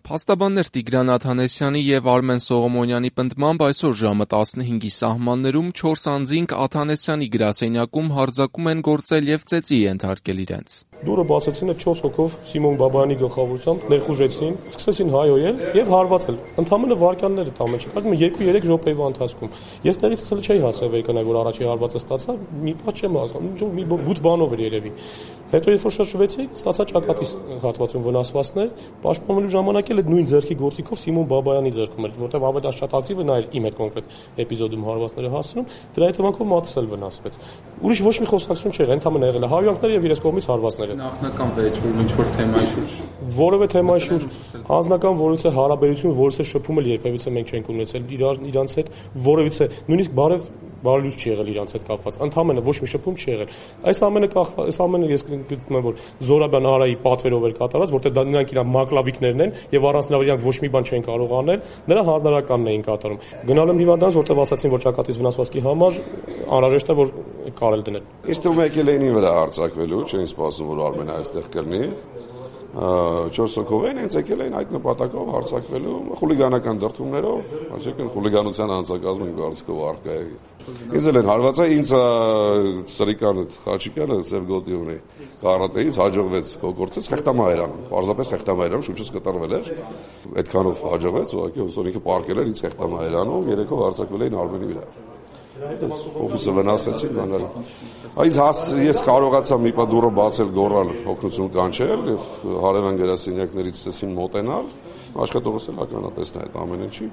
Փաստաբաններ Տիգրան Աթանեսյանի և Արմեն Սողոմոնյանի պնդմամբ այսօր ժամը 15-ի սահմաններում 4 անձինք Աթանեսյանի գրասենյակում հարձակում են գործել և ծեծի ենթարկել իրենց։ Դուռը բացեցին 4 հոգով Սիմոն Բաբայանի գլխավորությամբ, ներխուժեցին, սկսեցին հայհոյել և հարվածել։ Ընդամենը վայրկյաններ է ամեն ինչ, 2-3 րոպեվա ընթացքում։ Ես տեղից սկսել չէի հասել վերկենալ, որ առաջի հարվածը ստացա, մի բան չեմ հասկանում, մի բութ բանով էր երևի։ Հետո երբ որ շրջվեցի, ստացա ճակատի հատվածում վնասվածքներ, պաշտպանելու ժամանակ էլ այդ նույն ձեռքի գործիքով Սիմոն Բաբայանի ձեռքում էր, որտեղ ավելի շատ ակտիվը նա էր իմ այդ կոնկրետ էպիզոդում հարվածները հասնում, դրա հետևանքով մատս էլ վնասվեց։ Ուրիշ ոչ մի խոսակցություն չէր, ընդամենը եղել է հայհոյանքները եւ իրենց կողմից հարվածները։ Նախնական վեճ, որ ինչ-որ թեմայի շուրջ որևէ թեմայի շուրջ անձնական որևիցե հարաբերություն, որևիցե շփում էլ երբևիցե մենք չենք ունեցել իրանց հետ, որևիցե նույնիսկ բարելույթ չի եղել իրանց հետ կապված, ընդամենը ոչ մի շփում չի եղել։ Այս ամենը ես գտնում եմ, որ Զորաբյան Արայի պատվերով էր կատարած, որտեղ նրանք իրար մակլավիկներն են եւ առանց նրա իրանք ոչ մի բան չեն կարող անել, նրա հանձնարարականն էին կատարում։ Գնալ եմ հիվանդանոց, որտեղ ասացին, որ ճակատից վնասվածքի համար անհրաժեշտ է, որ կարել դնել։ Իսկ դու եկել էին վրա արձակվելու, չէին սպասում, որ Արմենը այստեղ կլինի։ 4 հոգով են եկել էին այդ նպատակով հարձակվելու խուլիգանական դրդումներով, այսինքն խուլիգանության անձնակազմը կարծիքով առկա է։ Ինձ էլ են հարվածել, ինձ սրիկանը խաչիկանը ծեր գոտի ունի կարատեից հաջողվեց կոկորցեց խեղտամահերան, պարզապես խեղտամահերան շուրջից կտրվել էր, այդքանով հաջողվեց, ուղղակի ոնց որ ինքը պարկել էր ինձ խեղտամահերանում, երեքով հարձակվել էին Արմենի վրա։ Օֆիսը վնասեցին բաները։ Ես կարողացա մի պա դուռը բացել, գոռալ, օգնություն կանչել եւ հարևան գրասենյակներից ցեցին մոտենալ, աշխատողս էլ ականատեսն է այդ ամեն ինչի։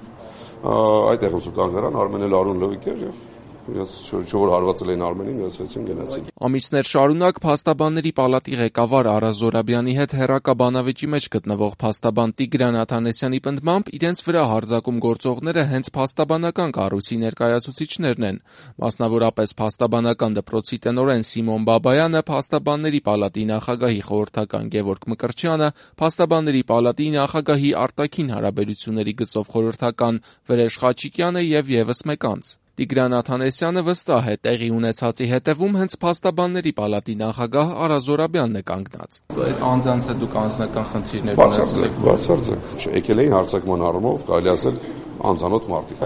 Այդտեղ ուսու կան գրան Արմենը Լարուն Լվիկ էր եւ ես չոր հարվածել էին Արմենին, գացեցին գնացին։ Ամիսներ շարունակ Փաստաբանների պալատի ղեկավար Արա Զորաբյանի հետ հեռակա բանավեճի մեջ գտնվող փաստաբան Տիգրան Աթանեսյանի պնդմամբ իրենց վրա հարձակում գործողները հենց փաստաբանական կառույցի ներկայացուցիչներն են։ Մասնավորապես Փաստաբանական դպրոցի տնօրեն Սիմոն Բաբայանը, Փաստաբանների պալատի նախագահի խորհրդական Գևորգ Մկրտչյանը, Փաստաբանների պալատի նախագահի արտաքին հարաբերությունների գծով խորհրդական Վրեժ Խաչիկյանը եւ եւս մեկ անձ։ Տիգրան Աթանեսյանը վստահ է, տեղի ունեցածի հետևում հենց Փաստաբանների պալատի նախագահ Արա Զորաբյանն է կանգնած։ Այդ անձանց հետ դուք անձնական խնդիրներ ունեցել եք։ Բացարձակ, եկել էին հարձակման առումով, կարելի ասել անձանոտ մարդիկ։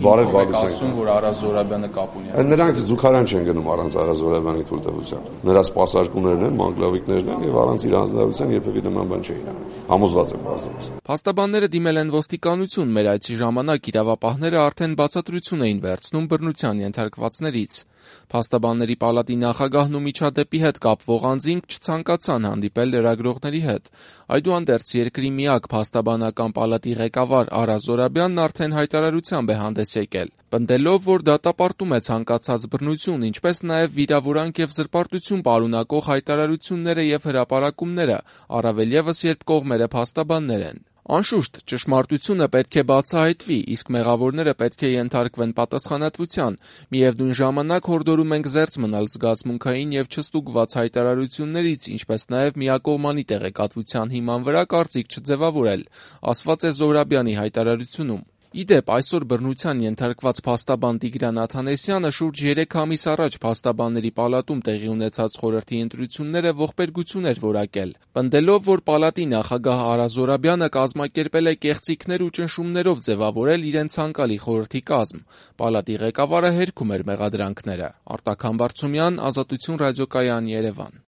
Բարև Բալուսյան, որ Արա Զորաբյանը կապ ունի։ Նրանք զուգարան չեն գնում առանց Արա Զորաբյանի թույլտվության։ Նրա սպասարկումներն են, մանկլավիկներն են եւ առանց իր հանձնարարության երբևէ նման բան չէին անում։ Համոզված եմ բարձրապես։ Փաստաբանները դիմել են ոստիկանություն, մեր այցի ժամանակ իրավապահները արդեն բացատրություն էին վերցնում բռնության ենթարկվածներից։ Փաստաբանների պալատի նախագահն ու միջադեպի հետ կապվող անձինք չցանկացան հանդիպել լրագրողների հետ։ Այդուհանդերձ երկրի միակ փաստաբանական պալատի ղեկավար Արա Զորաբյանն արդեն հայտարարությամբ է հանդես եկել, պնդելով, որ դատապարտում է ցանկացած բռնություն, ինչպես նաև վիրավորանք եւ զրպարտություն պարունակող հայտարարությունները եւ հրապարակումները, առավել եւս երբ կողմերը փաստաբաններ են։ Անշուշտ, ճշմարտությունը պետք է բացահայտվի, իսկ մեղավորները պետք է ենթարկվեն պատասխանատվության։ Միևնույն ժամանակ հորդորում ենք զերծ մնալ զգացմունքային եւ չստուգված հայտարարություններից, ինչպես նաև միակողմանի տեղեկատվության հիման վրա կարծիք չձևավորել, ասված է Զորաբյանի հայտարարությունում։ Իդեպ, այսօր բռնության ենթարկված փաստաբան Տիգրան Աթանեսյանը շուրջ 3 ամիս առաջ Փաստաբանների պալատում տեղի ունեցած խորհրդի ընտրությունները ողբերգություն էր որակել, պնդելով, որ պալատի նախագահ Արա Զորաբյանը կազմակերպել է կեղծիքներ ու ճնշումներով ձևավորել իրեն ցանկալի խորհրդի կազմ։ Պալատի ղեկավարը հերքում էր մեղադրանքները։ Արտակ Համբարձումյան, Ազատություն ռադիոկայան, Երևան։